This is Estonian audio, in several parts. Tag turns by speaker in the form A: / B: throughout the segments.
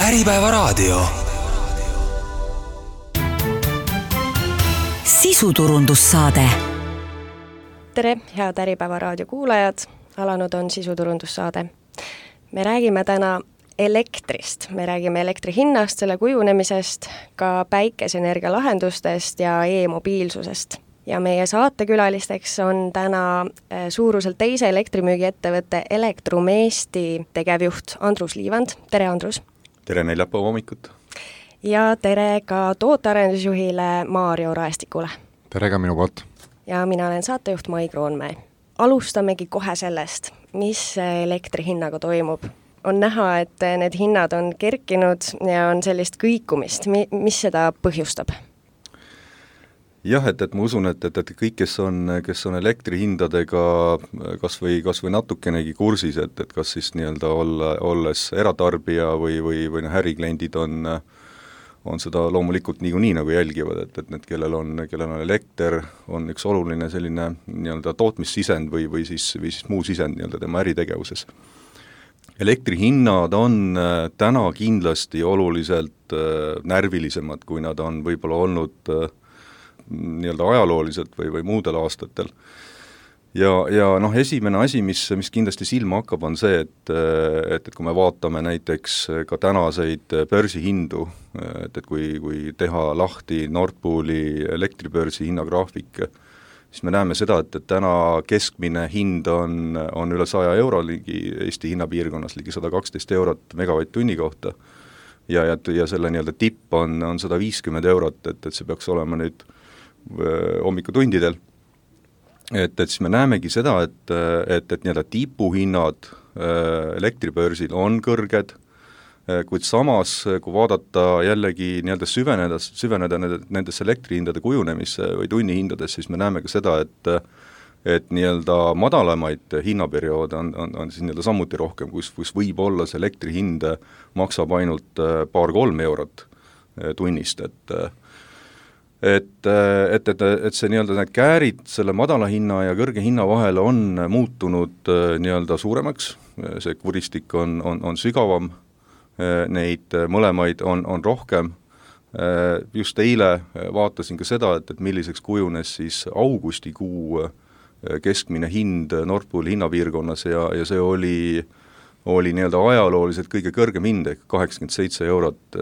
A: Äripäevaraadio. Sisuturundussaade.
B: Tere, head Äripäevaraadio kuulajad! Alanud on sisuturundussaade. Me räägime täna elektrist. Me räägime elektri hinnast, selle kujunemisest, ka päikeseenergia lahendustest ja e-mobiilsusest. Ja meie saatekülalisteks on täna suuruselt teise elektrimüügiettevõtte Elektrum Eesti tegevjuht Andrus Liivand. Tere, Andrus!
C: Tere neljapäeva hommikut!
B: Ja tere ka tootearendusjuhile Maarjo Raestikule.
D: Tere ka minu poolt!
B: Ja mina olen saatejuht Mai Kroonmäe. Alustamegi kohe sellest, mis elektri hinnaga toimub. On näha, et need hinnad on kerkinud ja on sellist kõikumist. Mis seda põhjustab?
C: Jah, et ma usun, et kõik, kes on elektrihindadega kas või natukenegi kursis, et kas siis nii-öelda olles eratarbija või ärikliendid on seda loomulikult niikuinii nagu jälgivad, et need, kellel on elekter, on üks oluline selline nii-öelda tootmissisend või siis muu sisend nii-öelda tema äritegevuses. Elektrihinnad on täna kindlasti oluliselt närvilisemad, kui nad on võib-olla olnud nii-öelda ajalooliselt või muudel aastatel. Ja esimene asi, mis kindlasti silma hakkab, on see, et kui me vaatame näiteks ka tänaseid börsihindu, et kui teha lahti Nord Pooli elektribörsi hinnagraafik, siis me näeme seda, et täna keskmine hind on üle 100 euro ligi Eesti hinnapiirkonnas, ligi 112 eurot megavatt-tunni kohta ja selle nii-öelda tipp on 150 eurot, et see peaks olema nüüd hommikutundidel. Et siis me näemegi seda, et nii-öelda tipuhinnad elektribörsil on kõrged, kuid samas, kui vaadata jällegi nii-öelda süveneda nendesse elektrihindade kujunemisse või tunnihindades, siis me näeme ka seda, et nii-öelda madalamaid hinnaperioode on siis nii-öelda samuti rohkem, kus võib-olla see elektrihind maksab ainult 2-3 eurot tunnist, et see nii-öelda need käärid selle madala hinna ja kõrge hinna vahel on muutunud nii-öelda suuremaks, see kuristik on sügavam, neid mõlemaid on rohkem. Just eile vaatasin ka seda, et milliseks kujunes siis augustikuu keskmine hind Nord Pooli hinnapiirkonnas ja see oli nii-öelda ajalooliselt kõige kõrgem hind, 87 eurot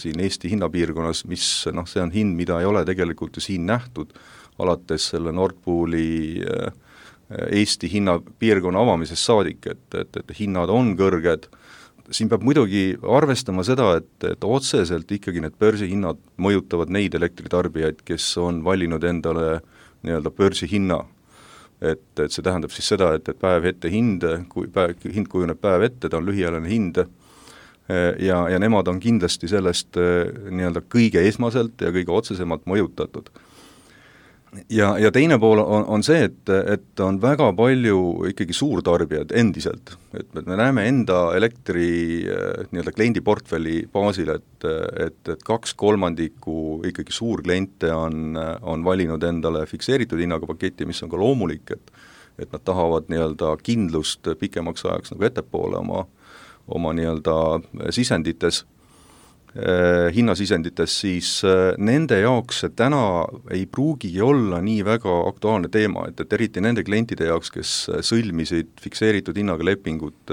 C: siin Eesti hinnapiirkonnas, mis see on hind, mida ei ole tegelikult ju siin nähtud, alates selle Nord Pooli Eesti hinnapiirkonna avamisest saadik, et hinnad on kõrged. Siin peab muidugi arvestama seda, et otseselt ikkagi need börsihinnad mõjutavad neid elektritarbijaid, kes on valinud endale nii-öelda börsihinna. Et see tähendab siis seda, et päev ette hind kujuneb päev ette, ta on lühiajaline hind ja nemad on kindlasti sellest nii-öelda kõige esmaselt ja kõige otsesemalt mõjutatud. Ja teine pool on see, et on väga palju ikkagi suurtarbijad endiselt, et me näeme enda elektri nii-öelda kliendiportfelli baasil, et 2/3 ikkagi suurkliente on valinud endale fikseeritud hinnaga paketi, mis on ka loomulik, et nad tahavad nii-öelda kindlust pikemaks ajaks nagu ettepoole oma nii-öelda sisendites, hinnasisendites, siis nende jaoks see täna ei pruugigi olla nii väga aktuaalne teema, et eriti nende klientide jaoks, kes sõlmisid fikseeritud hinnaga lepingut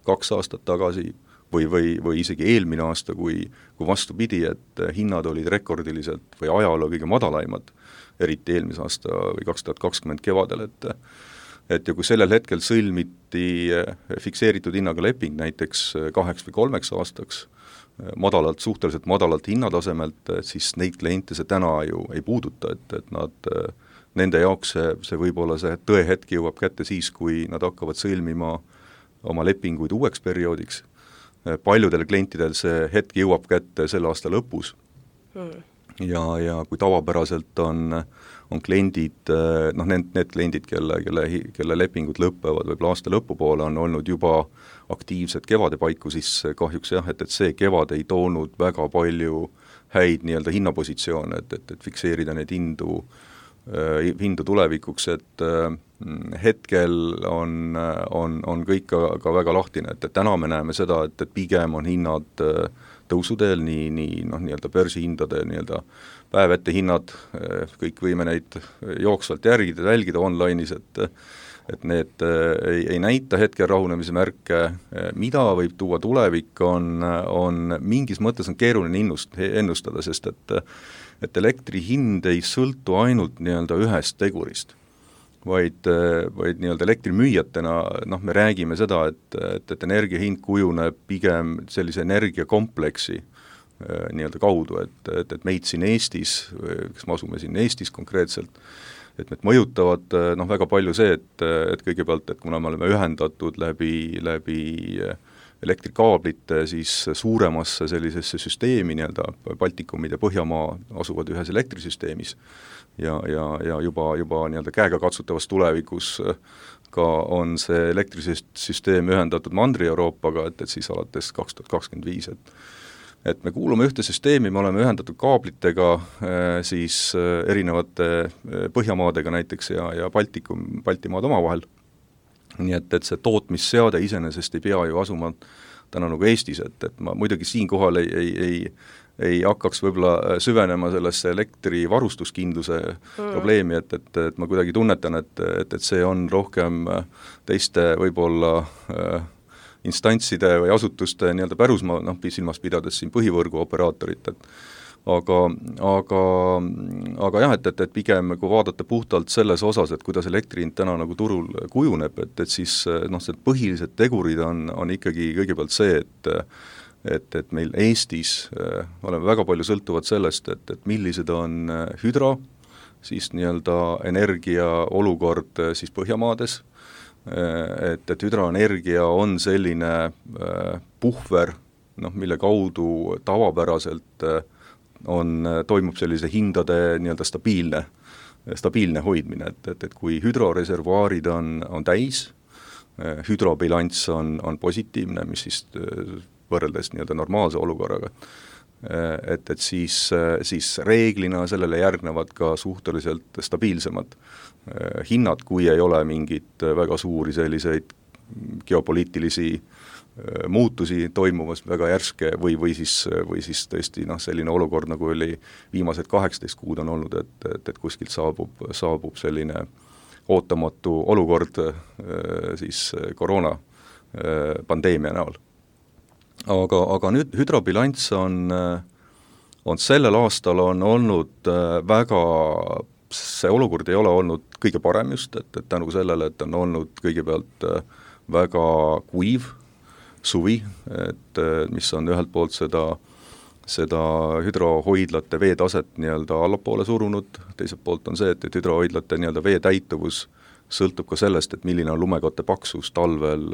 C: 2 aastat tagasi või isegi eelmine aasta, kui vastupidi, et hinnad olid rekordiliselt või ajaloo kõige madalaimad, eriti eelmise aasta või 2020 kevadel, et ja kui sellel hetkel sõlmiti fikseeritud hinnaga leping näiteks 2 või 3 aastaks, suhteliselt madalalt hinnatasemelt, siis neid kliente see täna ju ei puuduta, et nende jaoks see võib-olla see tõehetk jõuab kätte siis, kui nad hakkavad sõlmima oma lepinguid uueks perioodiks. Paljudel klientidel see hetk jõuab kätte selle aasta lõpus. Ja kui tavapäraselt on kliendid, need kliendid, kelle lepingud lõpevad võib-olla aasta lõpupoole, on olnud juba aktiivsed kevade paiku, siis kahjuks jah, et see kevad ei toonud väga palju häid nii-öelda hinnapositsioone, et fikseerida neid hindu hinda tulevikuks, et hetkel on kõik ka väga lahtine, et täna me näeme seda, et pigem on hinnad tõusuteel, nii nii-öelda börsihindade nii-öelda päev ette hinnad, kõik võime neid jooksvalt jälgida online'is, et need ei näita hetkel rahunemise märke, mida võib tuua tulevik, on mingis mõttes on keeruline ennustada, sest et elektri hind ei sõltu ainult nii-öelda ühest tegurist, vaid nii-öelda elektrimüüjatena me räägime seda, et energia hind kujuneb pigem sellise energiakompleksi nii-öelda kaudu, et meid siin Eestis, kes me asume siin Eestis konkreetselt, et need mõjutavad väga palju see, et kõigepealt, et kuna me oleme ühendatud läbi elektrikaablite siis suuremasse sellisesse süsteemi, nii-öelda Baltikumid ja Põhjamaa asuvad ühes elektrisüsteemis ja juba nii-öelda käega katsutavas tulevikus ka on see elektrisüsteem ühendatud Mandri-Euroopaga, et siis alates 2025, et me kuulume ühte süsteemi, me oleme ühendatud kaablitega siis erinevate Põhjamaadega näiteks ja Baltimaad omavahel. Nii et see tootmisseade iseenesest ei pea ju asuma täna nagu Eestis, et ma muidugi siinkohal ei hakkaks võib-olla süvenema sellesse elektrivarustuskindluse probleemi, et ma kuidagi tunnetan, et see on rohkem teiste võib-olla instantside või asutuste nii-öelda pärusmaa, silmas pidades siin põhivõrgu operaatorit, aga jah, et pigem kui vaadata puhtalt selles osas, et kuidas elektrihind täna nagu turul kujuneb, et siis see põhilised tegurid on ikkagi kõigepealt see, et meil Eestis oleme väga palju sõltuvad sellest, et millised on hüdro, siis nii-öelda energia olukord siis Põhjamaades, et hüdroenergia on selline puhver, mille kaudu tavapäraselt toimub sellise hindade nii-öelda stabiilne hoidmine, et kui hüdroreservuaarid on täis, hüdrobilanss on positiivne, mis siis võrreldes nii-öelda normaalse olukorraga, et siis reeglina sellele järgnevad ka suhteliselt stabiilsemad hinnad, kui ei ole mingit väga suuri selliseid geopoliitilisi muutusi toimumas väga järske või siis tõesti selline olukord, nagu oli viimased 18 kuud on olnud, et kuskilt saabub selline ootamatu olukord siis koroona pandeemia näol. Aga nüüd hüdrobilanss on sellel aastal on olnud väga, see olukord ei ole olnud kõige parem just, et tänu sellele, et on olnud kõigepealt väga kuiv suvi, et mis on ühelt poolt seda hüdrohoidlate veetaset nii-öelda allapoole surunud, teiselt poolt on see, et hüdrohoidlate nii-öelda veetäituvus sõltub ka sellest, et milline on lumekatte paksus talvel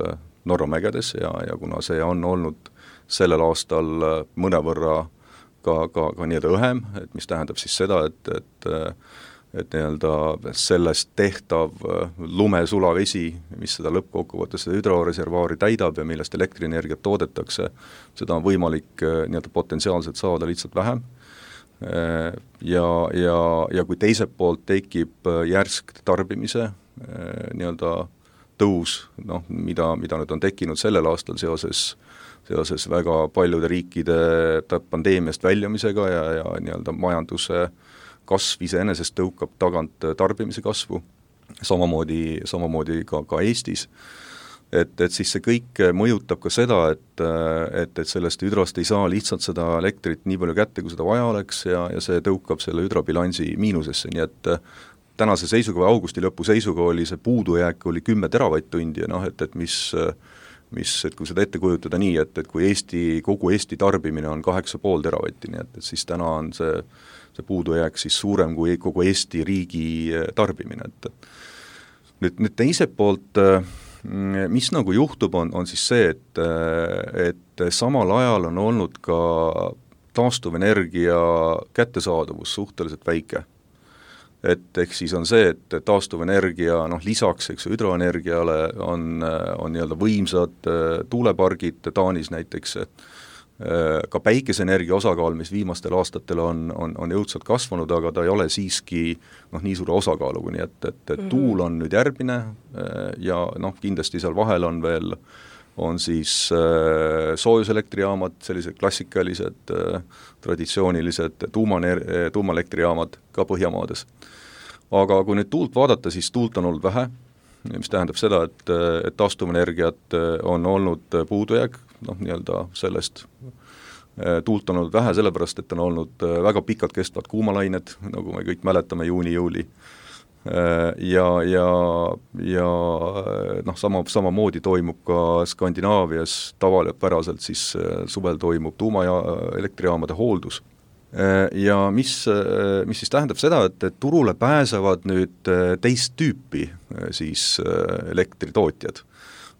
C: Norra mägedes ja kuna see on olnud sellel aastal mõnevõrra ka nii-öelda õhem, et mis tähendab siis seda, et nii-öelda sellest tehtav lumesulavesi, mis seda lõppkokkuvõttes seda hüdroreservuaari täidab ja millest elektrienergiat toodetakse, seda on võimalik nii-öelda potentsiaalselt saada lihtsalt vähem. Ja kui teiselt poolt tekib järsk tarbimise nii-öelda tõus, mida nüüd on tekkinud sellel aastal seoses väga paljude riikide pandeemiast väljumisega ja nii-öelda majanduse kasv iseenesest tõukab tagant tarbimise kasvu, samamoodi ka Eestis, et siis see kõik mõjutab ka seda, et sellest hüdrost ei saa lihtsalt seda elektrit nii palju kätte, kui seda vaja oleks ja see tõukab selle hüdrobilansi miinusesse, nii et tänase seisuga või augusti lõpu seisuga oli see puudujääk oli 10 teravatt-tundi ja et kui seda ette kujutada nii, et kui kogu Eesti tarbimine on 8,5 teravatti, nii et siis täna on see puudujääk siis suurem kui kogu Eesti riigi tarbimine, et nüüd teiselt poolt, mis nagu juhtub, on siis see, et samal ajal on olnud ka taastuvenergia kättesaadavus suhteliselt väike. Et ehk siis on see, et taastuvenergia lisaks hüdroenergiale on nii-öelda võimsad tuulepargid Taanis näiteks, ka päikeseenergia osakaal, mis viimastel aastatel on jõudsalt kasvanud, aga ta ei ole siiski nii suure osakaaluga, nii et tuul on nüüd järgmine ja kindlasti seal vahel on veel siis soojuselektrijaamad, sellised klassikalised, traditsioonilised tuumaelektrijaamad ka Põhjamaades. Aga kui nüüd tuult vaadata, siis tuult on olnud vähe, mis tähendab seda, et taastuvenergiat on olnud puudujääk, nii-öelda sellest tuult on olnud vähe, sellepärast, et on olnud väga pikalt kestvad kuumalained, nagu me kõik mäletame, juuni-juuli. Ja samamoodi toimub ka Skandinaavias tavaliselt siis suvel toimub tuumaelektrijaamade hooldus. Ja mis siis tähendab seda, et turule pääsevad nüüd teist tüüpi siis elektritootjad.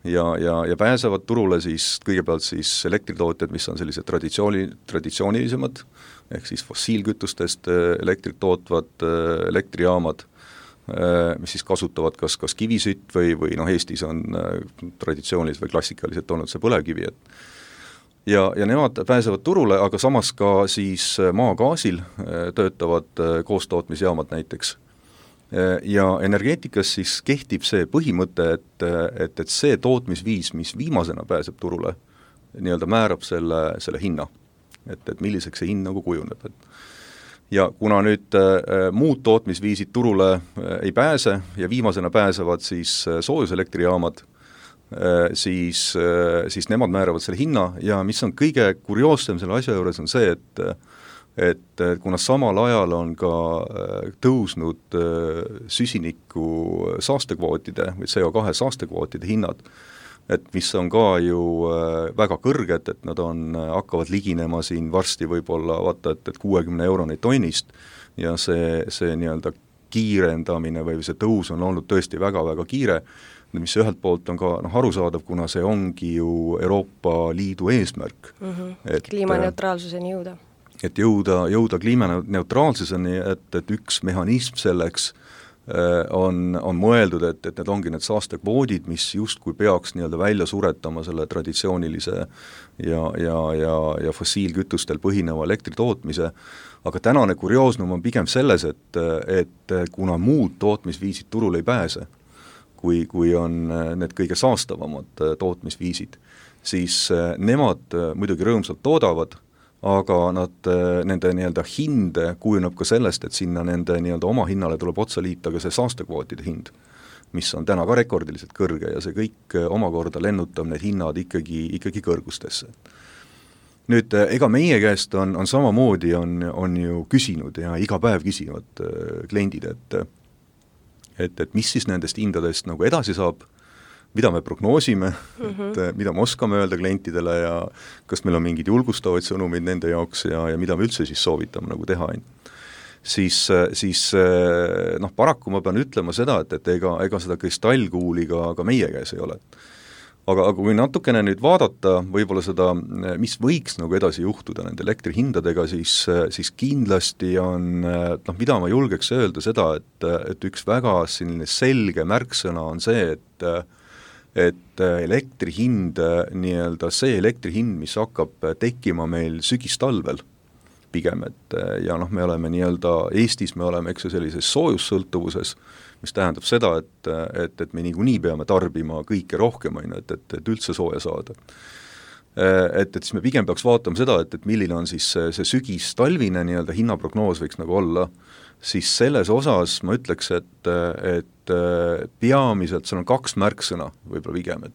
C: Ja pääsevad turule siis kõigepealt siis elektritootjad, mis on sellised traditsioonilisemad, ehk siis fossiilkütustest elektrit tootvad elektrijaamad, mis siis kasutavad kas kivisütt või Eestis on traditsiooniliselt või klassikaliselt olnud see põlevkivi, ja nemad pääsevad turule, aga samas ka siis maagaasil töötavad koostootmisjaamad näiteks. Ja energeetikas siis kehtib see põhimõte, et see tootmisviis, mis viimasena pääseb turule, nii-öelda määrab selle hinna, et milliseks see hind nagu kujuneb. Ja kuna nüüd muud tootmisviisid turule ei pääse ja viimasena pääsevad siis soojuselektrijaamad, siis nemad määravad selle hinna ja mis on kõige kurioossem selle asja juures on see, et kuna samal ajal on ka tõusnud süsiniku saastekvootide või CO2 saastekvootide hinnad, et mis on ka ju väga kõrged, et nad hakkavad liginema siin varsti võib-olla vaata, et 60 euroni tonnist ja see nii-öelda kiirendamine või see tõus on olnud tõesti väga-väga kiire, mis ühelt poolt on ka arusaadav, kuna see ongi ju Euroopa Liidu eesmärk.
B: Kliimaneutraalsuseni jõuda.
C: Et jõuda kliimaneutraalsuseni, et üks mehhanism selleks on mõeldud, et need ongi need saastekvoodid, mis justkui peaks nii-öelda välja suretama selle traditsioonilise ja fossiilkütustel põhineva elektritootmise, aga tänane kurioosnum on pigem selles, et kuna muud tootmisviisid turul ei pääse, kui on need kõige saastavamad tootmisviisid, siis nemad muidugi rõõmsalt toodavad, aga nende nii-öelda hinde kujuneb ka sellest, et sinna nende nii-öelda oma hinnale tuleb otsa liita ka see saastekvootide hind, mis on täna ka rekordiliselt kõrge ja see kõik omakorda lennutab need hinnad ikkagi kõrgustesse. Nüüd, ega meie käest on samamoodi on ju küsinud ja iga päev küsivad kliendid, et mis siis nendest hindadest nagu edasi saab, mida me prognoosime, mida me oskame öelda klientidele ja kas meil on mingid julgustavaid sõnumid nende jaoks ja mida me üldse siis soovitame nagu teha. Siis paraku ma pean ütlema seda, et ega seda kristallkuuli ka meie käes ei ole. Aga kui natukene nüüd vaadata võib-olla seda, mis võiks nagu edasi juhtuda nende elektrihindadega, siis kindlasti on, mida ma julgeks öelda seda, et üks väga selge märksõna on see, et elektrihind, nii-öelda see elektrihind, mis hakkab tekkima meil sügistalvel pigem, ja me oleme nii-öelda Eestis, me oleme sellises soojussõltuvuses, mis tähendab seda, et me niikuinii peame tarbima kõike rohkem, et üldse sooja saada. Et siis me pigem peaks vaatama seda, et milline on siis see sügis-talvine nii-öelda hinnaprognoos võiks nagu olla, siis selles osas ma ütleks, et peamiselt seal on kaks märksõna võib-olla pigem,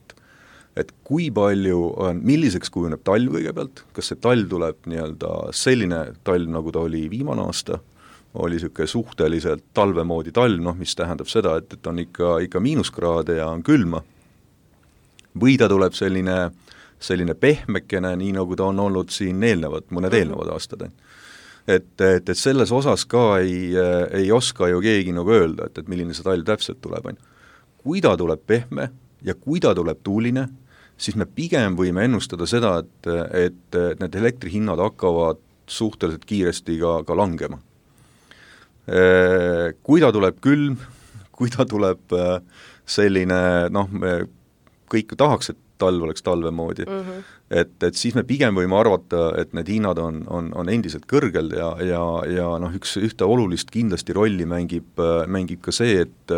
C: et kui palju on, milliseks kujuneb talv kõigepealt, kas see talv tuleb nii-öelda selline talv, nagu ta oli viimane aasta, oli niisugune suhteliselt talvemoodi talv, mis tähendab seda, et on ikka miinuskraade ja on külma, või ta tuleb selline pehmekene, nii nagu ta on olnud siin mõned eelnevad aastad. Et selles osas ka ei oska ju keegi nagu öelda, et milline see talv täpselt tuleb. Kui ta tuleb pehme ja kui ta tuleb tuuline, siis me pigem võime ennustada seda, et need elektrihinnad hakkavad suhteliselt kiiresti ka langema. Kui ta tuleb külm, kui ta tuleb selline, me kõik tahaks, et talv oleks talve moodi. Et siis me pigem võime arvata, et need hinnad on endiselt kõrgel ja noh, ühte olulist kindlasti rolli mängib ka see, et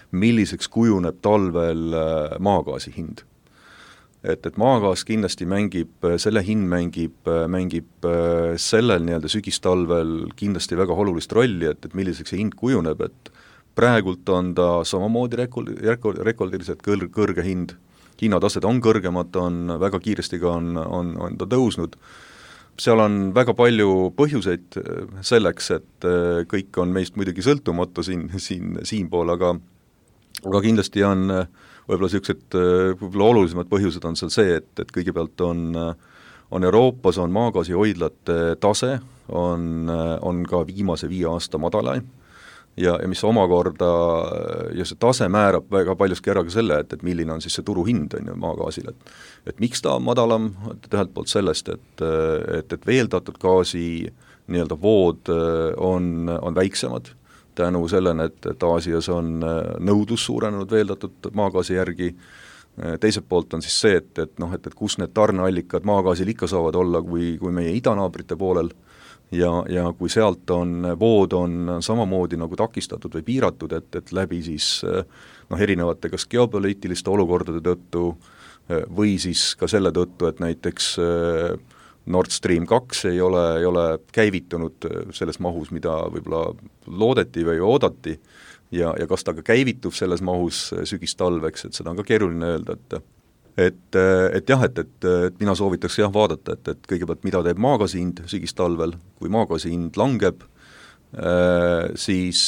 C: milliseks kujuneb talvel maagaasi hind. Et maagaas kindlasti selle hind mängib sellel nii-öelda sügistalvel kindlasti väga olulist rolli, et milliseks see hind kujuneb, et praegult on ta samamoodi rekordiliselt kõrge hind, hinnatased on kõrgemad, on väga kiiresti ka on ta tõusnud. Seal on väga palju põhjuseid selleks, et kõik on meist muidugi sõltumatu siinpool, aga kindlasti on võib-olla sellised olulisemad põhjused on seal see, et kõigepealt on Euroopas on maagaasihoidlate tase on ka viimase 5 aasta madalaim ja mis omakorda ja see tase määrab väga paljuski ära ka selle, et milline on siis see turuhind on ju maagaasil, et miks ta on madalam, ühelt poolt sellest, et veeldatud gaasi nii-öelda vood on väiksemad tänu sellele, et Aasias on nõudlus suurenenud veeldatud maagaasi järgi, teiselt poolt on siis see, et kus need tarneallikad maagaasil ikka saavad olla, kui meie idanaabrite poolel ja kui sealt vood on samamoodi nagu takistatud või piiratud, et läbi siis erinevate kas geopoliitiliste olukordade tõttu või siis ka selle tõttu, et näiteks Nord Stream 2 ei ole käivitunud selles mahus, mida võib-olla loodeti või oodati ja kas ta ka käivitub selles mahus sügistalveks, et seda on ka keeruline öelda, et mina soovitaks vaadata, et kõigepealt mida teeb maagaasi hind sügistalvel, kui maagaasi hind langeb, siis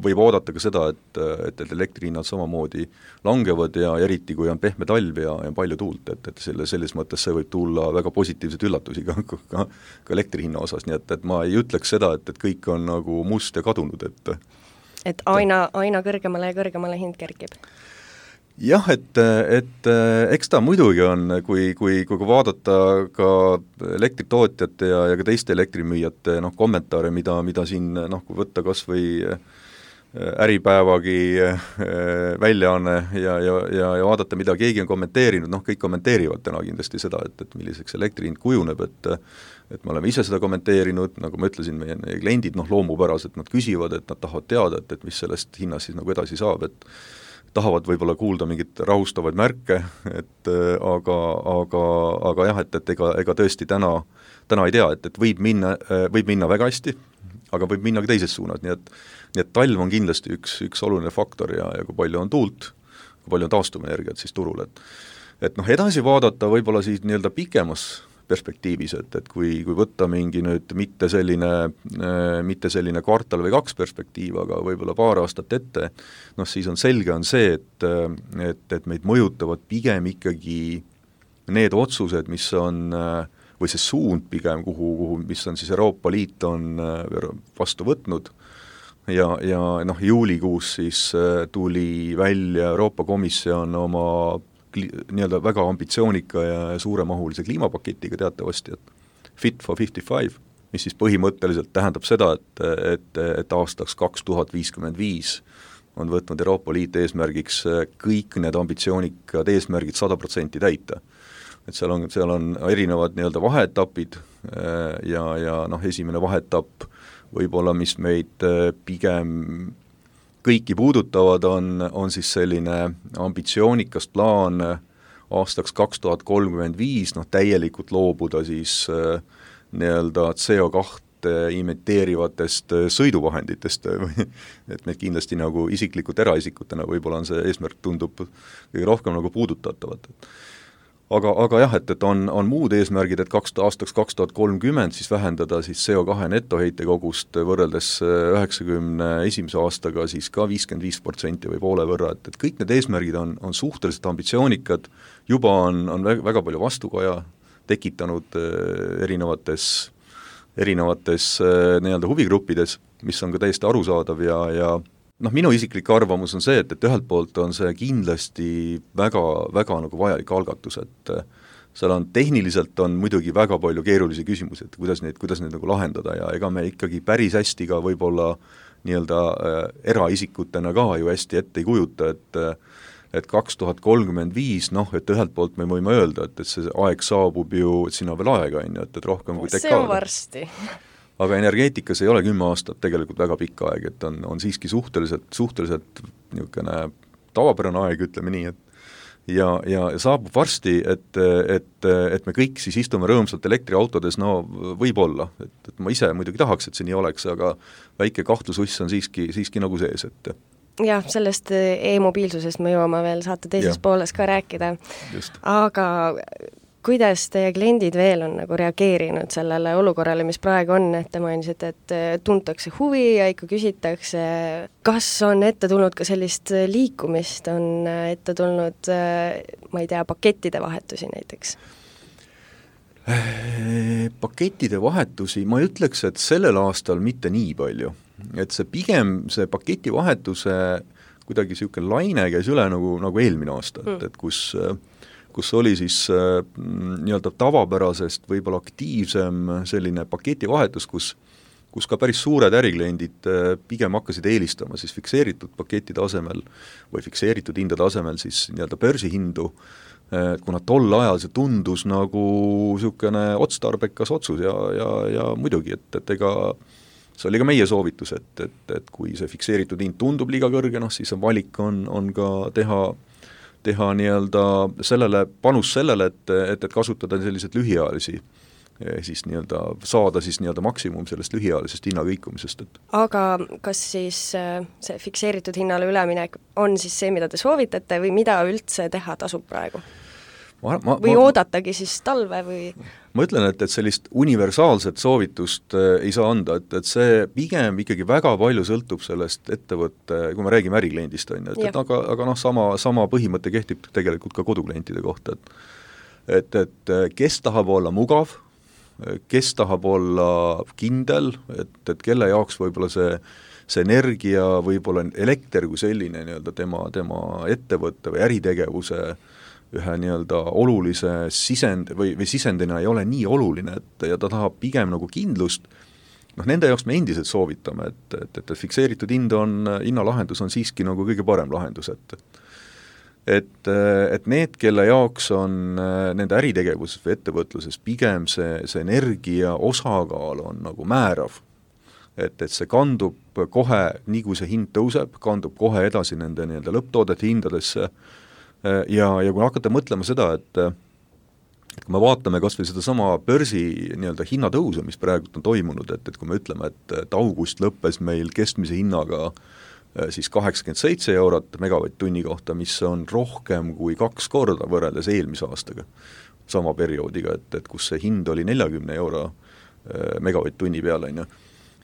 C: võib oodata ka seda, et elektrihinnad samamoodi langevad ja eriti kui on pehme talv ja palju tuult, et selles mõttes see võib tulla väga positiivseid üllatusi ka elektrihinna osas, nii et ma ei ütleks seda, et kõik on nagu must ja kadunud,
B: et aina kõrgemale ja kõrgemale hind kerkib.
C: Jah, et eks ta muidugi on, kui vaadata ka elektritootjate ja ka teiste elektrimüüjate kommentaare, mida siin kui võtta kas või Äripäevagi väljaanne ja vaadata, mida keegi on kommenteerinud, kõik kommenteerivad täna kindlasti seda, et milliseks elektrihind kujuneb, et me oleme ise seda kommenteerinud, nagu ma ütlesin, meie kliendid loomupäraselt, nad küsivad, et nad tahavad teada, et mis sellest hinnast siis nagu edasi saab, et tahavad võib-olla kuulda mingit rahustavaid märke, aga jah, et ega tõesti täna ei tea, et võib minna väga hästi, aga võib minna ka teises suunas, nii et talv on kindlasti üks oluline faktor ja kui palju on tuult, kui palju on taastuvenergiat siis turul, et edasi vaadata võib-olla siis nii-öelda pikemas perspektiivis, et kui võtta mingi nüüd mitte selline kvartal või 2 perspektiiv, aga võib-olla paar aastat ette, siis on selge on see, et meid mõjutavad pigem ikkagi need otsused, mis on, või see suund pigem, mis on siis Euroopa Liit on vastu võtnud ja juulikuus siis tuli välja Euroopa Komisjon oma nii-öelda väga ambitsioonika ja suuremahulise kliimapaketiga teatavasti, et Fit for 55, mis siis põhimõtteliselt tähendab seda, et aastaks 2055 on võtnud Euroopa Liit eesmärgiks kõik need ambitsioonikad eesmärgid 100% täita. Et seal on erinevad nii-öelda vaheetapid ja esimene vaheetapp võib-olla, mis meid pigem kõiki puudutavad, on siis selline ambitsioonikas plaan aastaks 2035, täielikult loobuda siis nii-öelda CO2 imiteerivatest sõiduvahenditest, et meid kindlasti nagu isiklikult eraisikutena võib-olla on see eesmärk tundub kõige rohkem nagu puudutatavat. Aga jah, et on muud eesmärgid, et aastaks 2030 siis vähendada siis CO2 netoheite kogust võrreldes 91. aastaga siis ka 55% või poole võrra, et kõik need eesmärgid on suhteliselt ambitsioonikad, juba on väga palju vastukaja tekitanud erinevates nii-öelda huvigruppides, mis on ka täiesti arusaadav ja minu isiklik arvamus on see, et ühelt poolt on see kindlasti väga, väga nagu vajalik algatus, et seal on tehniliselt on muidugi väga palju keerulisi küsimusi, et kuidas neid nagu lahendada ja ega me ikkagi päris hästi ka võib-olla nii-öelda eraisikutena ka ju hästi ette ei kujuta, et 2035, noh, et ühelt poolt me võime öelda, et see aeg saabub ju, et sinna veel aega on ju, et rohkem kui
B: see on varsti.
C: Aga energeetikas ei ole 10 aastat tegelikult väga pikk aeg, et on siiski suhteliselt niisugune tavapärane aeg, ütleme nii, et ja saabub varsti, et me kõik siis istume rõõmsalt elektriautodes, no võib-olla, et ma ise muidugi tahaks, et see nii oleks, aga väike kahtlususs on siiski nagu sees, et
B: jah, sellest e-mobiilsusest me jõuame veel saate teises pooles ka rääkida.
C: Just.
B: Aga kuidas teie kliendid veel on nagu reageerinud sellele olukorrale, mis praegu on, et te mainisite, et tuntakse huvi ja ikka küsitakse, kas on ette tulnud ka sellist liikumist, on ette tulnud, ma ei tea, pakettide vahetusi näiteks?
C: Pakettide vahetusi, ma ütleks, et sellel aastal mitte nii palju. Et see pigem, see paketivahetuse kuidagi niisugune laine käis üle nagu eelmine aasta, et kus oli siis nii-öelda tavapärasest võib-olla aktiivsem selline paketivahetus, kus ka päris suured ärikliendid pigem hakkasid eelistama siis fikseeritud pakettide asemel või fikseeritud hindade asemel siis nii-öelda börsihindu, kuna tol ajal see tundus nagu niisugune otstarbekas otsus ja muidugi, et ega see oli ka meie soovitus, et kui see fikseeritud hind tundub liiga kõrge, noh siis valik on ka teha nii-öelda panus sellele, et kasutada sellised lühiajalisi, siis nii-öelda saada siis nii-öelda maksimum sellest lühiajalisest hinnakõikumisest.
B: Aga kas siis see fikseeritud hinnale üleminek on siis see, mida te soovitate või mida üldse teha tasub praegu? Või oodatagi siis talve või?
C: Ma ütlen, et sellist universaalset soovitust ei saa anda, et see pigem ikkagi väga palju sõltub sellest ettevõtte, kui me räägime ärikliendist, on ju, aga noh, sama põhimõte kehtib tegelikult ka koduklientide kohta, et kes tahab olla mugav, kes tahab olla kindel, et kelle jaoks võib-olla see energia, võib-olla elekter kui selline nii-öelda tema ettevõtte või äritegevuse ühe nii-öelda olulise või sisendina ei ole nii oluline, ja ta tahab pigem nagu kindlust, noh nende jaoks me endiselt soovitame, et fikseeritud hinnalahendus on siiski nagu kõige parem lahendus, et need, kelle jaoks on nende äritegevuses või ettevõtluses pigem see energia osakaal on nagu määrav, et see kandub kohe, nii kui see hind tõuseb, kandub kohe edasi nende nii-öelda lõpptoodete hindadesse, ja kui hakata mõtlema seda, et kui me vaatame kas või seda sama börsi nii-öelda hinnatõusu, mis praegu on toimunud, et kui me ütleme, et august lõppes meil keskmise hinnaga siis 87 eurot megavatt-tunni kohta, mis on rohkem kui 2 korda võrreldes eelmise aastaga, sama perioodiga, et kus see hind oli 40 euro megavatt-tunni peale, on ju.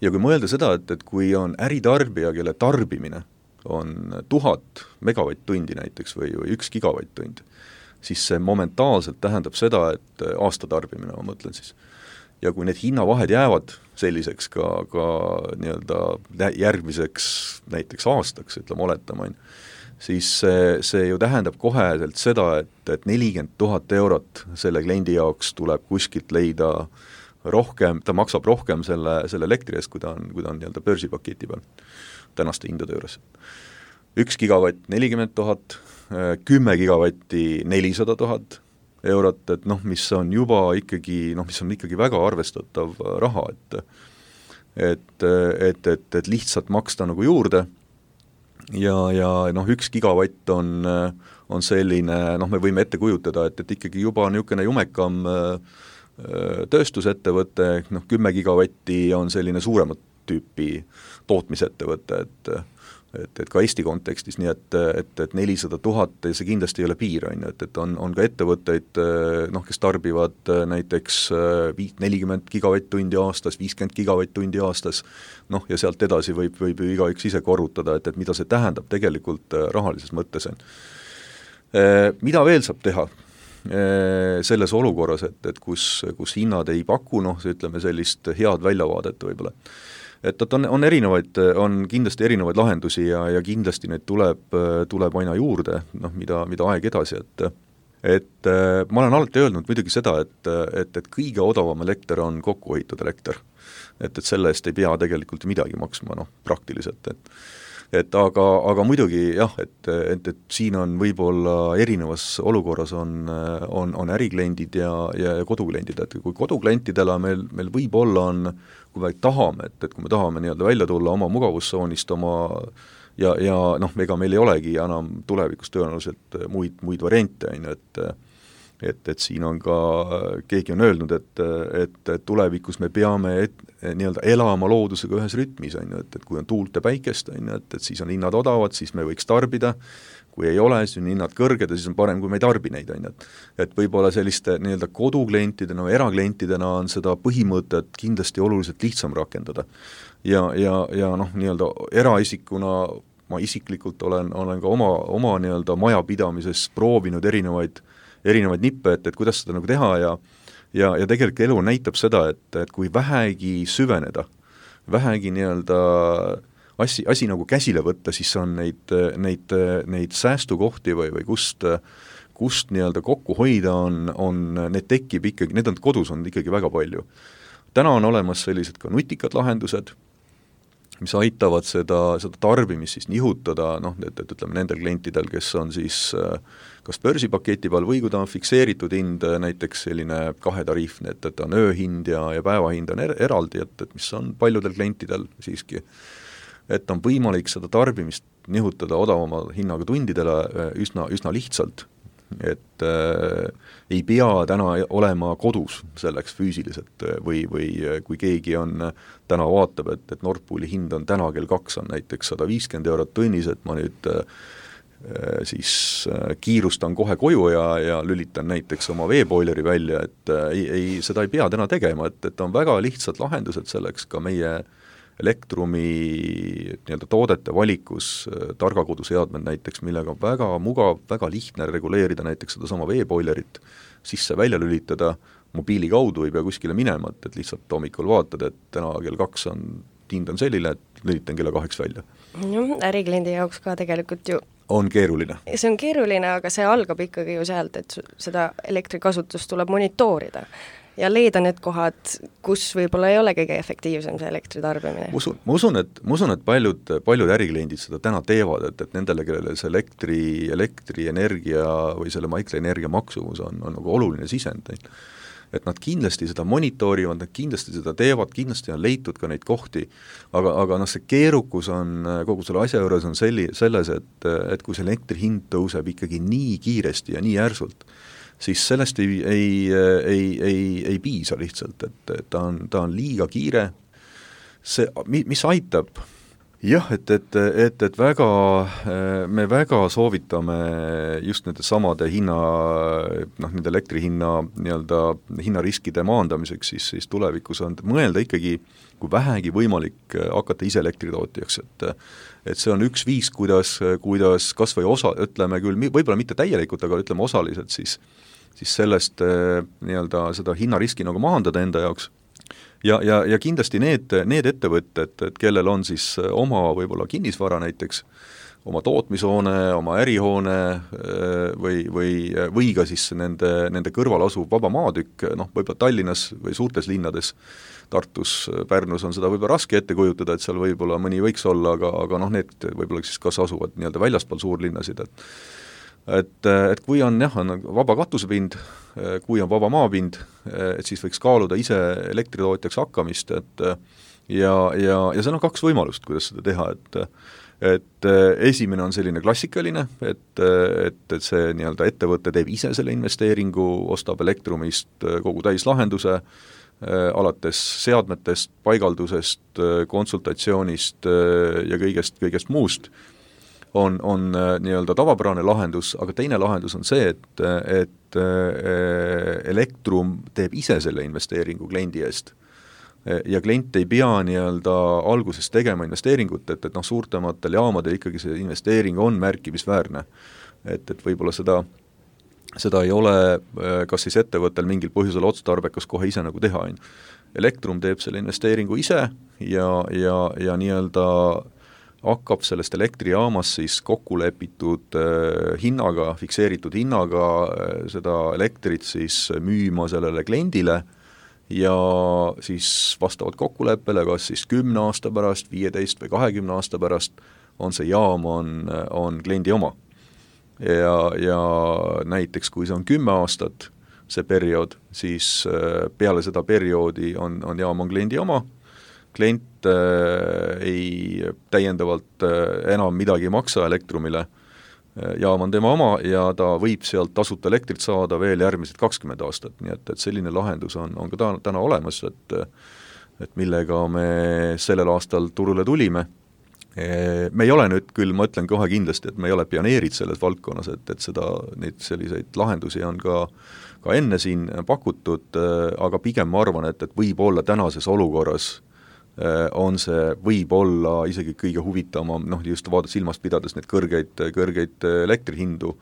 C: Ja kui mõelda seda, et kui on äritarbija, kelle tarbimine on 1000 megavatt-tundi näiteks või 1 gigavatt-tund, siis see momentaalselt tähendab seda, et aastatarbimine, ma mõtlen siis. Ja kui need hinnavahed jäävad selliseks ka nii-öelda järgmiseks näiteks aastaks, ütleme oletama, siis see ju tähendab koheselt seda, et 40 000 eurot selle kliendi jaoks tuleb kuskilt leida rohkem, ta maksab rohkem selle elektri eest, kui ta on nii-öelda börsipaketi peal tänaste hindade juures. 1 gigavatt 40 000, 10 gigavatti 400 000 eurot, et noh, mis on juba ikkagi, mis on ikkagi väga arvestatav raha, et lihtsalt maksta nagu juurde ja 1 gigavatt on selline, me võime ette kujutada, et ikkagi juba niisugune jumekam tööstusettevõte, 10 gigavatti on selline suuremat tüüpi tootmisettevõte, et ka Eesti kontekstis, nii et 400 000 ja see kindlasti ei ole piir, et on ka ettevõtteid, kes tarbivad näiteks 40 gigavatt-tundi aastas, 50 gigavatt-tundi aastas, ja sealt edasi võib ju igaüks ise korrutada, et mida see tähendab tegelikult rahalises mõttes. Mida veel saab teha selles olukorras, et kus hinnad ei paku, ütleme sellist head väljavaadet võib-olla. Et on erinevaid, on kindlasti erinevaid lahendusi ja kindlasti neid tuleb aina juurde, mida aeg edasi, et ma olen alati öelnud muidugi seda, et kõige odavam elekter on kokkuhoitud elekter. Et selle eest ei pea tegelikult midagi maksma, praktiliselt, aga muidugi jah, et siin on võib-olla erinevas olukorras on ärikliendid ja kodukliendid, et kui koduklientidele meil võib-olla on, kui me tahame, et kui me tahame nii-öelda välja tulla oma mugavustsoonist, ja ega meil ei olegi enam tulevikus tõenäoliselt muid variante, et siin on ka, keegi on öelnud, et tulevikus me peame nii-öelda elama loodusega ühes rütmis, et kui on tuult ja päikest, et siis on hinnad odavad, siis me võiks tarbida, kui ei ole, siis on hinnad kõrged ja siis on parem, kui me ei tarbi neid, et võib-olla selliste nii-öelda koduklientidena või eraklientidena on seda põhimõtet kindlasti oluliselt lihtsam rakendada. Ja nii-öelda eraisikuna ma isiklikult olen ka oma nii-öelda majapidamises proovinud erinevaid nippe, et kuidas seda nagu teha ja tegelikult elu näitab seda, et kui vähegi süveneda, vähegi nii-öelda asi nagu käsile võtta, siis on neid säästukohti või kust nii-öelda kokku hoida on need tekib ikkagi, need on kodus on ikkagi väga palju. Täna on olemas sellised ka nutikad lahendused, mis aitavad seda tarbimist siis nihutada, et ütleme nendel klientidel, kes on siis kas börsipaketi peal või kui ta on fikseeritud hind, näiteks selline kahetariifne, et on ööhind ja päevahind on eraldi, et mis on paljudel klientidel siiski, et on võimalik seda tarbimist nihutada odavama hinnaga tundidele üsna lihtsalt, et ei pea täna olema kodus selleks füüsiliselt või kui keegi on täna vaatab, et Nord Pooli hind on täna kell 2 on näiteks 150 eurot tunnis, et ma nüüd siis kiirustan kohe koju ja lülitan näiteks oma veepoileri välja, et seda ei pea täna tegema, et on väga lihtsad lahendused selleks ka meie Elektrumi nii-öelda toodete valikus, targakoduseadmed näiteks, millega on väga mugav, väga lihtne reguleerida näiteks seda sama veepoilerit, sisse-välja lülitada, mobiili kaudu ei pea kuskile minema, et lihtsalt hommikul vaatad, et täna kell 2 hind on selline, et lülitan kella 2 välja.
B: Ärikliendi jaoks ka tegelikult ju
C: on keeruline.
B: See on keeruline, aga see algab ikkagi ju sealt, et seda elektrikasutust tuleb monitoorida ja leida need kohad, kus võib-olla ei ole kõige efektiivsem see elektritarbimine.
C: Ma usun, et paljud ärikliendid seda täna teevad, et nendele, kellele see elektrienergia või selle elektrienergia maksumus on nagu oluline sisend, et nad kindlasti seda monitoorivad, nad kindlasti seda teevad, kindlasti on leitud ka neid kohti, aga see keerukus on kogu selle asja juures on selles, et kui see elektri hind tõuseb ikkagi nii kiiresti ja nii järsult, siis sellest ei piisa lihtsalt, et ta on liiga kiire. See, mis aitab? Jah, et me väga soovitame just nende samade nende elektrihinna nii-öelda hinnariskide maandamiseks, siis tulevikus on mõelda ikkagi, kui vähegi võimalik hakata ise elektritootjaks, et see on üks viis, kuidas kas või ütleme küll, võib-olla mitte täielikult, aga ütleme osaliselt siis sellest nii-öelda seda hinnariski nagu maandada enda jaoks. Ja kindlasti need ettevõtted, et kellel on siis oma võib-olla kinnisvara näiteks, oma tootmishoone, oma ärihoone või ka siis nende kõrval asuv vaba maatükk, võib-olla Tallinnas või suurtes linnades, Tartus, Pärnus on seda võib-olla raske ette kujutada, et seal võib-olla mõni võiks olla, aga need võib-olla siis kas asuvad nii-öelda väljaspool suurlinnasid, et kui on vaba katusepind, kui on vaba maapind, et siis võiks kaaluda ise elektritootjaks hakkamist, ja seal on 2 võimalust, kuidas seda teha, et esimene on selline klassikaline, et see nii-öelda ettevõte teeb ise selle investeeringu, ostab Elektrumist kogu täislahenduse, alates seadmetest, paigaldusest, konsultatsioonist ja kõigest muust, on nii-öelda tavapärane lahendus, aga teine lahendus on see, et Elektrum teeb ise selle investeeringu kliendi eest. Ja klient ei pea nii-öelda alguses tegema investeeringut, et suurtematel jaamadel ikkagi see investeering on märkimisväärne. Et võib-olla seda ei ole kas siis ettevõttel mingil põhjusel otstarbekas kohe ise nagu teha. Elektrum teeb selle investeeringu ise ja nii-öelda hakkab sellest elektrijaamas siis kokku lepitud hinnaga, fikseeritud hinnaga seda elektrit siis müüma sellele kliendile ja siis vastavalt kokkuleppele, kas siis 10 aasta pärast, 15 või 20 aasta pärast on see jaam, on kliendi oma. Ja näiteks kui see on 10 aastat, see periood, siis peale seda perioodi on jaam on kliendi oma, klient ei täiendavalt enam midagi ei maksa Elektrumile, jaam on tema oma ja ta võib sealt tasuta elektrit saada veel järgmised 20 aastat, nii et selline lahendus on ka täna olemas, et millega me sellel aastal turule tulime. Me ei ole nüüd küll, ma ütlen kohe kindlasti, et me ei ole pioneerid selles valdkonnas, et neid selliseid lahendusi on ka enne siin pakutud, aga pigem ma arvan, et võib-olla tänases olukorras on see võib-olla isegi kõige huvitavam, just silmas pidades need kõrgeid elektrihindu,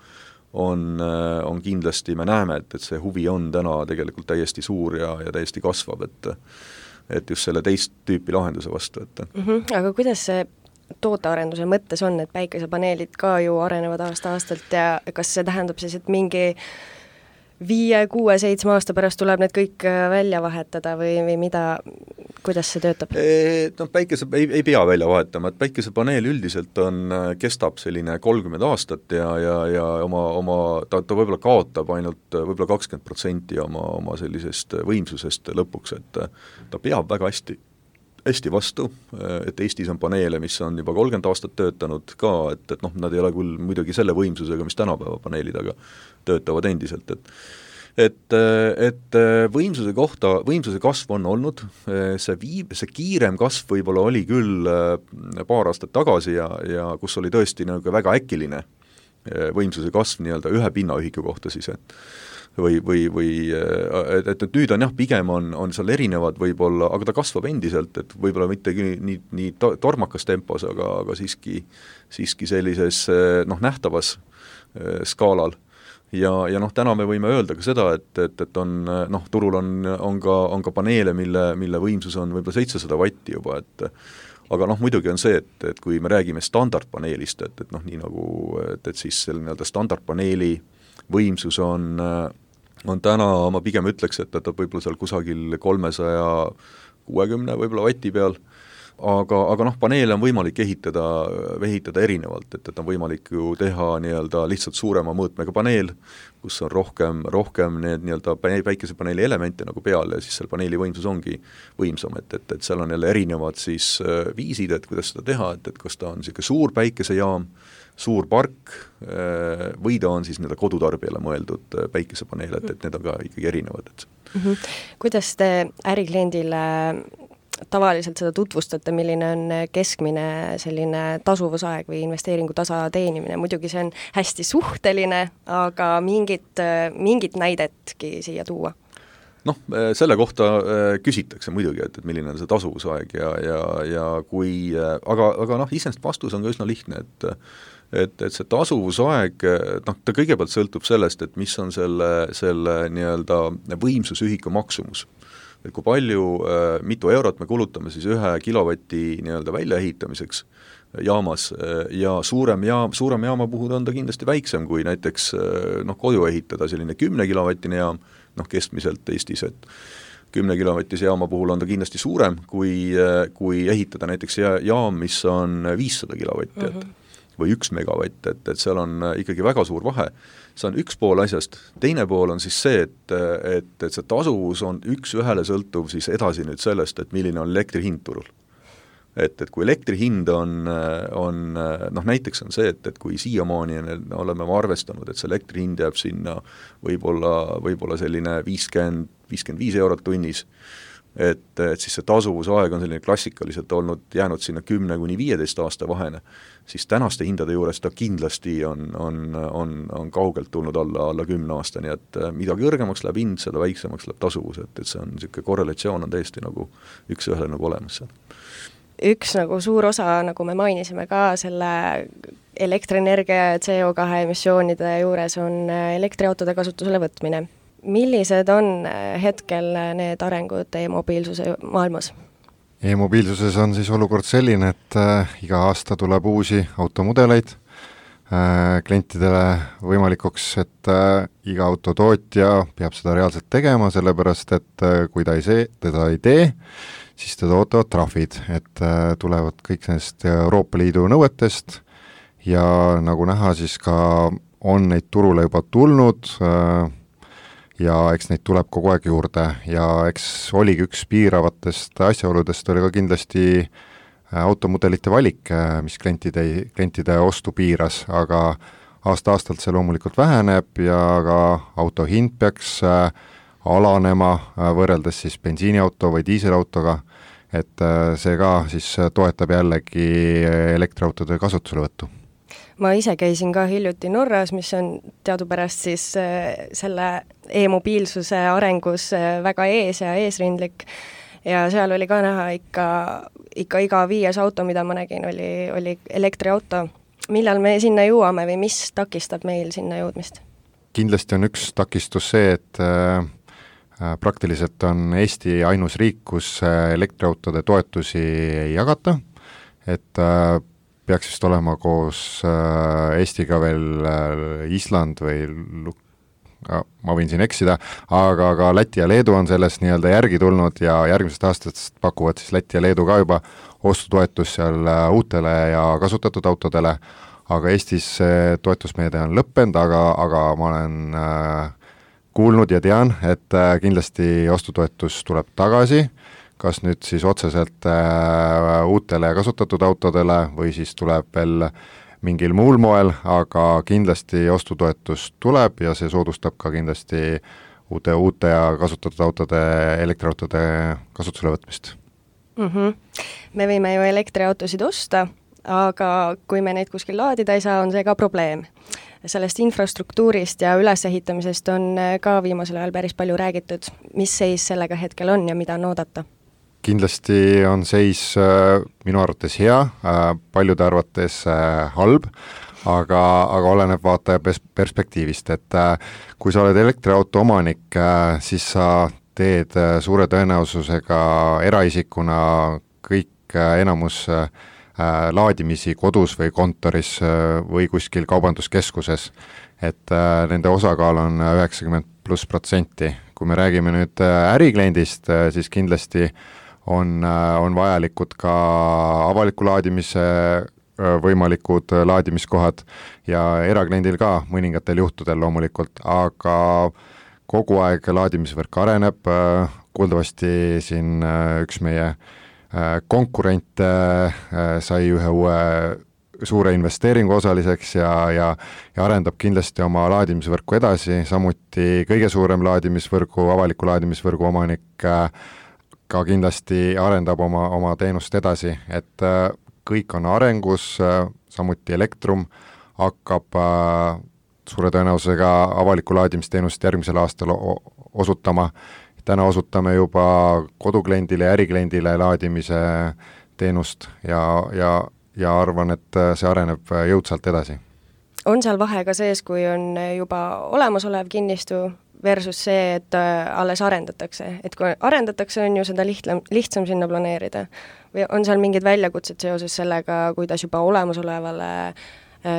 C: on kindlasti, me näeme, et see huvi on täna tegelikult täiesti suur ja täiesti kasvab, et just selle teist tüüpi lahenduse vastu.
B: Aga kuidas see tootearenduse mõttes on, et päikesepaneelid ka ju arenevad aasta-aastalt ja kas see tähendab siis, et mingi 5, 6, 7 aasta pärast tuleb need kõik välja vahetada või mida, kuidas see töötab?
C: Ei pea välja vahetama, et päikesepaneel üldiselt kestab selline 30 aastat ja ta võib-olla kaotab ainult võib-olla 20% oma sellisest võimsusest lõpuks, et ta peab väga hästi vastu, et Eestis on paneele, mis on juba 30 aastat töötanud ka, et nad ei ole küll muidugi selle võimsusega, mis tänapäeva paneelid, aga töötavad endiselt, et võimsuse kasv on olnud, see kiirem kasv võib-olla oli küll paar aastat tagasi ja kus oli tõesti nagu väga äkiline võimsuse kasv nii-öelda ühe pinnaühiku kohta siis, et nüüd on jah, pigem on seal erinevad võib-olla, aga ta kasvab endiselt, et võib-olla mitte nii tormakas tempos, aga siiski sellises nähtavas skaalal. Ja täna me võime öelda ka seda, et on, turul on ka paneele, mille võimsus on võib-olla 700 vatti juba, aga muidugi on see, et kui me räägime standardpaneelist, et nii nagu, et siis selle nii-öelda standardpaneeli võimsus on täna, ma pigem ütleks, et võib-olla seal kusagil 360 võib-olla vati peal, aga paneele on võimalik ehitada erinevalt, et on võimalik ju teha nii-öelda lihtsalt suurema mõõtmega paneel, kus on rohkem need nii-öelda päikesepaneeli elemente nagu peal ja siis seal paneeli võimsus ongi võimsam, et seal on jälle erinevad siis viisid, et kuidas seda teha, et kas ta on selline suur päikesejaam, suur park või ta on siis nii-öelda kodutarbijale mõeldud päikesepaneel, et need on ka ikkagi erinevad.
B: Kuidas te ärikliendile tavaliselt seda tutvustate, milline on keskmine selline tasuvusaeg või investeeringu tasa teenimine, muidugi see on hästi suhteline, aga mingit näidetki siia tuua?
C: Selle kohta küsitakse muidugi, et milline on see tasuvusaeg ja kui, aga iseenesest vastus on ka üsna lihtne, et see tasuvusaeg, ta kõigepealt sõltub sellest, et mis on selle nii-öelda võimsusühiku maksumus. Et kui palju, mitu eurot me kulutame siis 1 kilovati nii-öelda väljaehitamiseks jaamas ja suurem jaama puhul on ta kindlasti väiksem kui näiteks kodu ehitada selline 10 kilovatine jaam, keskmiselt Eestis, et 10 kilovatise jaama puhul on ta kindlasti suurem kui ehitada näiteks jaam, mis on 500 kilovatti, või 1 megavatt, et seal on ikkagi väga suur vahe. See on üks pool asjast, teine pool on siis see, et see tasuvus on üks ühele sõltuv siis edasi nüüd sellest, et milline on elektri hind turul. Et kui elektri hind on näiteks on see, et kui siiamaani oleme arvestanud, et see elektri hind jääb sinna võib-olla selline 50-55 eurot tunnis, et siis see tasuvusaeg on selline klassikaliselt jäänud sinna 10-15 aasta vahene, siis tänaste hindade juures ta kindlasti on kaugelt tulnud alla 10 aasta, nii et mida kõrgemaks läheb hind, seda väiksemaks läheb tasuvus, et see on niisugune korrelatsioon on täiesti nagu üks ühele nagu olemas.
B: Üks nagu suur osa, nagu me mainisime ka selle elektrienergia ja CO2 emissioonide juures on elektriautode kasutusele võtmine. Millised on hetkel need arengud e-mobiilsuse maailmas?
D: E-mobiilsuses on siis olukord selline, et iga aasta tuleb uusi automudeleid, klientidele võimalikuks, et iga autotootja peab seda reaalselt tegema, sellepärast et kui teda ei tee, siis teda ootavad trahvid, et tulevad kõik nendest Euroopa Liidu nõuetest ja nagu näha, siis ka on neid turule juba tulnud ja eks neid tuleb kogu aeg juurde ja eks oligi üks piiravatest asjaoludest oli ka kindlasti automudelite valik, mis klientide ostu piiras, aga aasta-aastalt see loomulikult väheneb ja ka auto hind peaks alanema võrreldes siis bensiiniauto või diiselautoga, et see ka siis toetab jällegi elektriautode kasutuselevõttu.
B: Ma ise käisin ka hiljuti Norras, mis on teadupärast siis selle e-mobiilsuse arengus väga ees ja eesrindlik ja seal oli ka näha ikka iga 5. auto, mida ma nägin, oli elektriauto. Millal me sinna jõuame või mis takistab meil sinna jõudmist?
D: Kindlasti on üks takistus see, et praktiliselt on Eesti ainus riik, kus elektriautode toetusi ei jagata, et peaks vist olema koos Eestiga veel Island või ma võin siin eksida, aga ka Läti ja Leedu on sellest nii-öelda järgi tulnud ja järgmisest aastast pakuvad siis Läti ja Leedu ka juba ostutoetus seal uutele ja kasutatud autodele, aga Eestis see toetusmeede on lõppenud, aga ma olen kuulnud ja tean, et kindlasti ostutoetus tuleb tagasi, kas nüüd siis otseselt uutele ja kasutatud autodele või siis tuleb veel mingil muul moel, aga kindlasti ostutoetus tuleb ja see soodustab ka kindlasti uute ja kasutatud autode, elektriautode kasutusele võtmist.
B: Me võime ju elektriautosid osta, aga kui me neid kuskil laadida ei saa, on see ka probleem. Sellest infrastruktuurist ja ülesehitamisest on ka viimasel ajal päris palju räägitud. Mis seis sellega hetkel on ja mida on oodata?
D: Kindlasti on seis minu arvates hea, paljude arvates halb, aga oleneb vaataja perspektiivist, et kui sa oled elektriauto omanik, siis sa teed suure tõenäosusega eraisikuna kõik enamus laadimisi kodus või kontoris või kuskil kaubanduskeskuses, et nende osakaal on 90+%. Kui me räägime nüüd ärikliendist, siis kindlasti on vajalikud ka avaliku laadimise võimalikud laadimiskohad ja erakliendil ka mõningatel juhtudel loomulikult, aga kogu aeg laadimisvõrk areneb, kuuldavasti siin üks meie konkurent sai ühe uue suure investeeringu osaliseks ja arendab kindlasti oma laadimisvõrku edasi, samuti kõige suurem avaliku laadimisvõrgu omanik ka kindlasti arendab oma teenust edasi, et kõik on arengus, samuti Elektrum hakkab suure tõenäosusega avaliku laadimisteenust järgmisel aastal osutama. Täna osutame juba kodukliendile ja ärikliendile laadimise teenust ja arvan, et see areneb jõudsalt edasi.
B: On seal vahe ka sees, kui on juba olemasolev kinnistu versus see, et alles arendatakse. Et kui arendatakse, on ju seda lihtsam sinna planeerida. Või on seal mingid väljakutsed seoses sellega, kuidas juba olemasolevale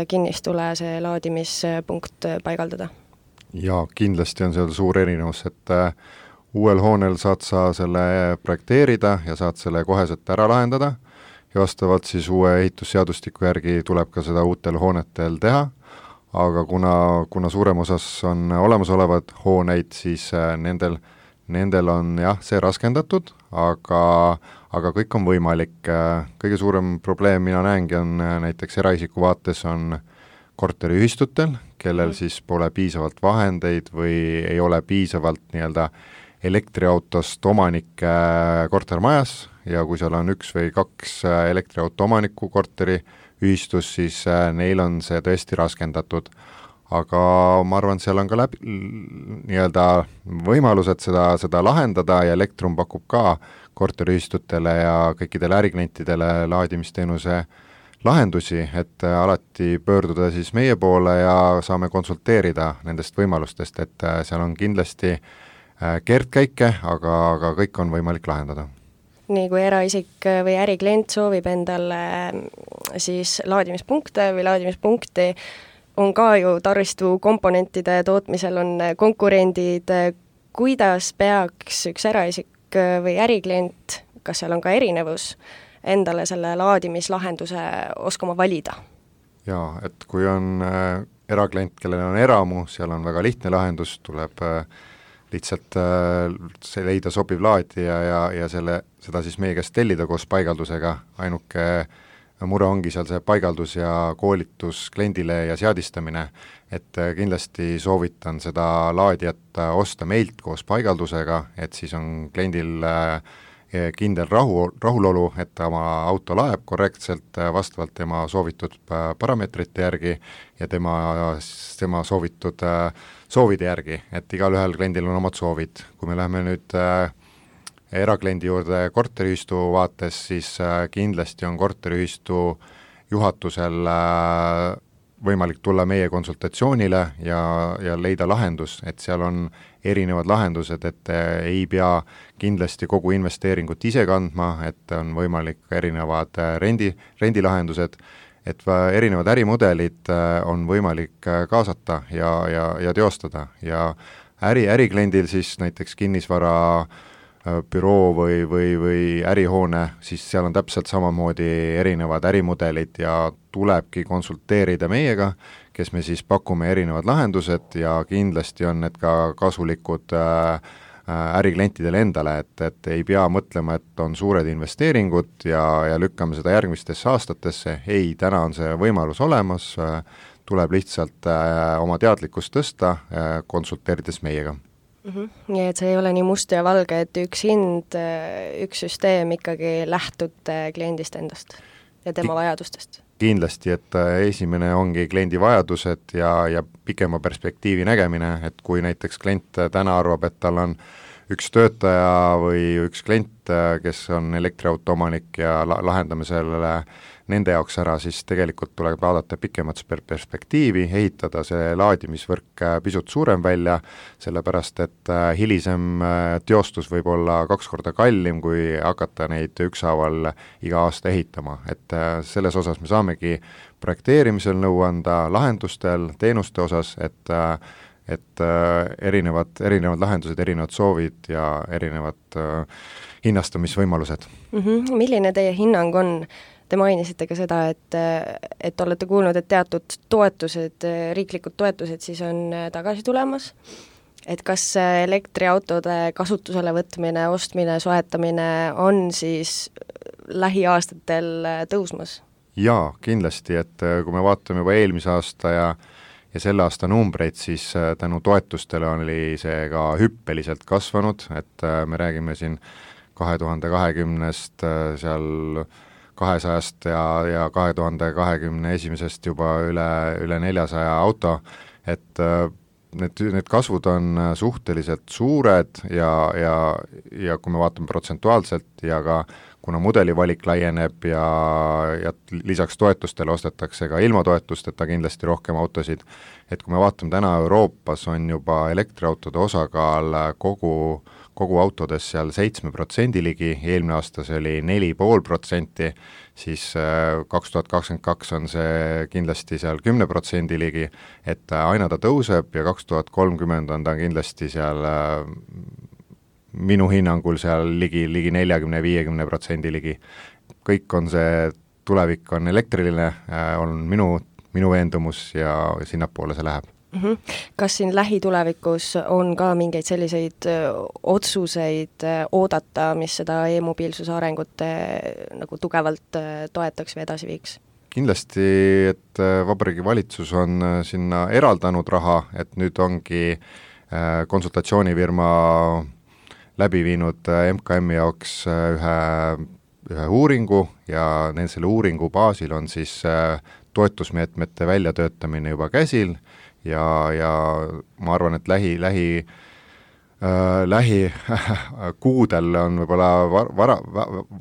B: kinnistule see laadimispunkt paigaldada?
D: Ja kindlasti on seal suur erinevus, et uuel hoonel saad sa selle projekteerida ja saad selle koheselt ära lahendada ja vastavalt siis uue ehitusseadustiku järgi tuleb ka seda uutel hoonetel teha, aga kuna suurem osas on olemasolevad hooneid, siis nendel on jah, see raskendatud, aga kõik on võimalik. Kõige suurem probleem mina näengi on näiteks eraisiku vaates on korteriühistutel, kellel siis pole piisavalt vahendeid või ei ole piisavalt nii-öelda elektriautost omanikke kortermajas ja kui seal on 1 või 2 elektriauto omaniku korteriühistus, siis neil on see tõesti raskendatud. Aga ma arvan, seal on ka nii-öelda võimalused seda lahendada ja Elektrum pakub ka korteriühistutele ja kõikidele äriklientidele laadimisteenuse lahendusi, et alati pöörduda siis meie poole ja saame konsulteerida nendest võimalustest, et seal on kindlasti keerdkäike, aga kõik on võimalik lahendada.
B: nii kui eraisik või äriklient soovib endale siis laadimispunkte või laadimispunkti, on ka ju taristu komponentide tootmisel on konkurendid, kuidas peaks üks eraisik või äriklient, kas seal on ka erinevus, endale selle laadimislahenduse oskama valida?
D: Jaa, et kui on eraklient, kellel on eramu, seal on väga lihtne lahendus, tuleb lihtsalt leida sobiv laadija ja seda siis meie käest tellida koos paigaldusega, ainuke mure ongi seal see paigaldus ja koolitus kliendile ja seadistamine, et kindlasti soovitan seda laadijat osta meilt koos paigaldusega, et siis on kliendil kindel rahulolu, et ta oma auto laeb korrektselt vastavalt tema soovitud parameetrite järgi ja tema soovitud soovide järgi, et igalühel kliendil on omad soovid. Kui me läheme nüüd erakliendi juurde korteriühistu vaates, siis kindlasti on korteriühistu juhatusel võimalik tulla meie konsultatsioonile ja leida lahendus, et seal on erinevad lahendused, et ei pea kindlasti kogu investeeringut ise kandma, et on võimalik erinevad rendilahendused, et erinevad ärimudelid on võimalik kaasata ja teostada ja ärikliendil siis näiteks kinnisvara büroo või ärihoone, siis seal on täpselt samamoodi erinevad ärimudelid ja tulebki konsulteerida meiega, kes me siis pakume erinevad lahendused ja kindlasti on need ka kasulikud äriklientidele endale, et ei pea mõtlema, et on suured investeeringud ja lükkame seda järgmistesse aastatesse, ei, täna on see võimalus olemas, tuleb lihtsalt oma teadlikkust tõsta, konsulteerides meiega.
B: Nii et see ei ole nii must ja valge, et üks hind, üks süsteem ikkagi lähtub kliendist endast ja tema vajadustest.
D: Kindlasti, et esimene ongi kliendi vajadused ja pikema perspektiivi nägemine, et kui näiteks klient täna arvab, et tal on üks töötaja või üks klient, kes on elektriauto omanik ja lahendame sellele nende jaoks ära, siis tegelikult tuleb vaadata pikemat perspektiivi, ehitada see laadimisvõrk pisut suurem välja, sellepärast et hilisem teostus võib olla 2 korda kallim, kui hakata neid ükshaaval iga aasta ehitama, et selles osas me saamegi projekteerimisel nõu anda, lahendustel, teenuste osas, et erinevad lahendused, erinevad soovid ja erinevad hinnastamisvõimalused.
B: Milline teie hinnang on? Te mainisite ka seda, et olete kuulnud, et teatud toetused, riiklikud toetused siis on tagasi tulemas, et kas elektriautode kasutusele võtmine, ostmine, soetamine on siis lähiaastatel tõusmas? Jaa,
D: kindlasti, et kui me vaatame juba eelmise aasta ja selle aasta numbreid, siis tänu toetustele oli see ka hüppeliselt kasvanud, et me räägime siin 2020-st seal 200-st ja 2021-st juba üle 400 auto, et need kasvud on suhteliselt suured ja kui me vaatame protsentuaalselt ja ka kuna mudelivalik laieneb ja lisaks toetustele ostetakse ka ilma toetusteta kindlasti rohkem autosid, et kui me vaatame täna Euroopas on juba elektriautode osakaal kogu autodes seal 7% ligi, eelmine aasta see oli 4,5%, siis 2022 on see kindlasti seal 10% ligi, et aina ta tõuseb ja 2030 on ta kindlasti seal minu hinnangul seal ligi 40-50% ligi. Kõik on see, tulevik on elektriline, on minu veendumus ja sinnapoole see läheb.
B: Kas siin lähitulevikus on ka mingeid selliseid otsuseid oodata, mis seda e-mobiilsuse arengut nagu tugevalt toetaks või edasi viiks?
D: Kindlasti, et Vabariigi Valitsus on sinna eraldanud raha, et nüüd ongi konsultatsioonifirma läbi viinud MKM-i jaoks ühe uuringu ja selle uuringu baasil on siis toetusmeetmete väljatöötamine juba käsil ja ma arvan, et lähi kuudel on võib-olla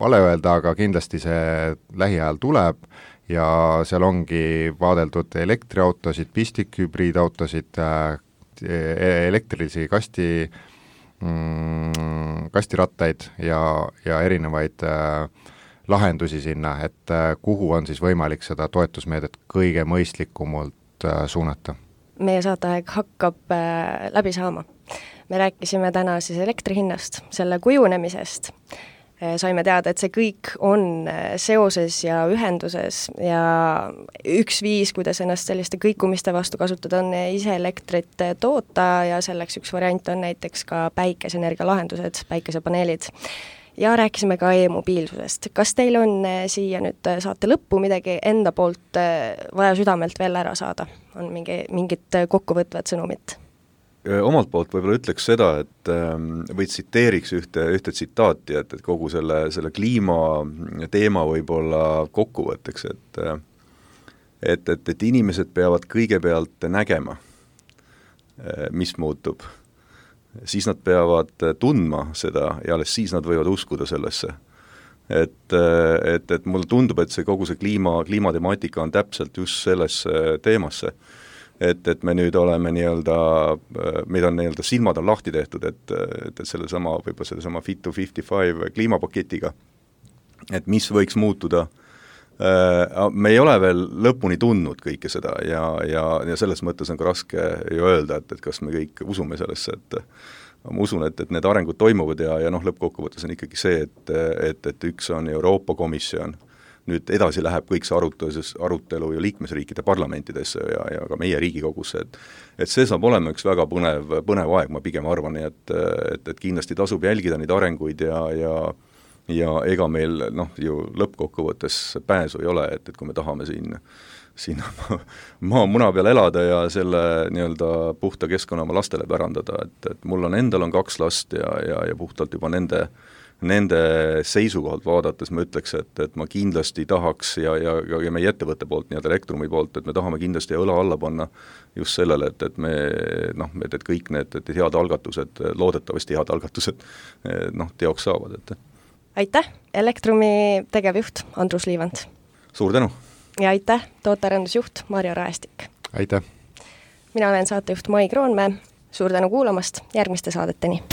D: vale öelda, aga kindlasti see lähiajal tuleb ja seal ongi vaadeldud elektriautosid, pistikhübriidautosid, elektrilisi kastirattaid ja erinevaid lahendusi sinna, et kuhu on siis võimalik seda toetusmeedet kõige mõistlikumalt suunata?
B: Meie saateaeg hakkab läbi saama. Me rääkisime täna siis elektri hinnast, selle kujunemisest. Saime teada, et see kõik on seoses ja ühenduses ja üks viis, kuidas ennast selliste kõikumiste vastu kasutada, on ise elektrit toota ja selleks üks variant on näiteks ka päikeseenergia lahendused, päikesepaneelid. Ja rääkisime ka e-mobiilsusest. Kas teil on siia nüüd saate lõppu midagi enda poolt vaja südamelt veel ära saada? On mingit kokkuvõtvat sõnumit?
C: Omalt poolt võib-olla ütleks seda, et või tsiteeriks ühte tsitaati, et kogu selle kliima teema võib-olla kokkuvõtteks, et inimesed peavad kõigepealt nägema, mis muutub. Siis nad peavad tundma seda ja alles siis nad võivad uskuda sellesse. Et mulle tundub, et kogu see kliimatemaatika on täpselt just sellesse teemasse. Et me nüüd oleme meid on silmad on lahti tehtud, et sellesama Fit to 55 kliimapaketiga, et mis võiks muutuda. Me ei ole veel lõpuni tundnud kõike seda ja selles mõttes on ka raske ju öelda, et kas me kõik usume sellesse, et ma usun, et need arengud toimuvad ja lõppkokkuvõttes on ikkagi see, et üks on Euroopa Komisjon, nüüd edasi läheb kõik see arutelu ju liikmesriikide parlamentidesse ja ka meie Riigikogusse, et see saab olema üks väga põnev aeg, ma pigem arvan, et kindlasti tasub jälgida neid arenguid ja ega meil ju lõppkokkuvõttes pääsu ei ole, et kui me tahame siin maamuna peal elada ja selle puhta keskkonna oma lastele pärandada, et mul endal on 2 last ja puhtalt juba nende seisukohalt vaadates ma ütleks, et ma kindlasti tahaks ja meie ettevõtte poolt, Elektrumi poolt, et me tahame kindlasti õla alla panna just sellele, et kõik need head algatused, loodetavasti head algatused teoks saavad.
B: Aitäh, Elektrumi tegevjuht Andrus Liivand.
C: Suur tänu!
B: Ja aitäh, tootearendusjuht Marjo Raestik.
D: Aitäh!
B: Mina olen saatejuht Mai Kroonmäe. Suur tänu kuulamast, järgmiste saadeteni!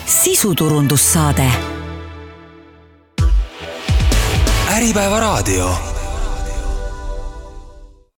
A: Sisuturundussaade. Äripäeva raadio.